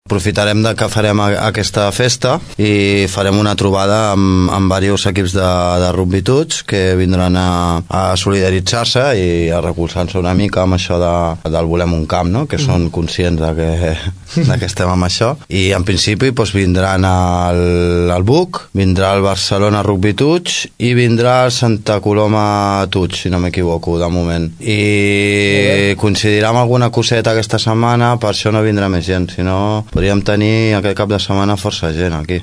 Aprofitarem que farem aquesta festa i farem una trobada amb diversos equips de rugby Tuts que vindran a solidaritzar-se i a recolzar-se una mica amb això del Volem un camp, no? Que són conscients que estem amb això, i en principi vindran al BUC, vindrà el Barcelona Rugby Tuts i vindrà el Santa Coloma Tuts, si no m'equivoco, de moment, i coincidirà amb alguna coseta aquesta setmana, per això no vindrà més gent, si no podríem tenir aquest cap de setmana força gent aquí.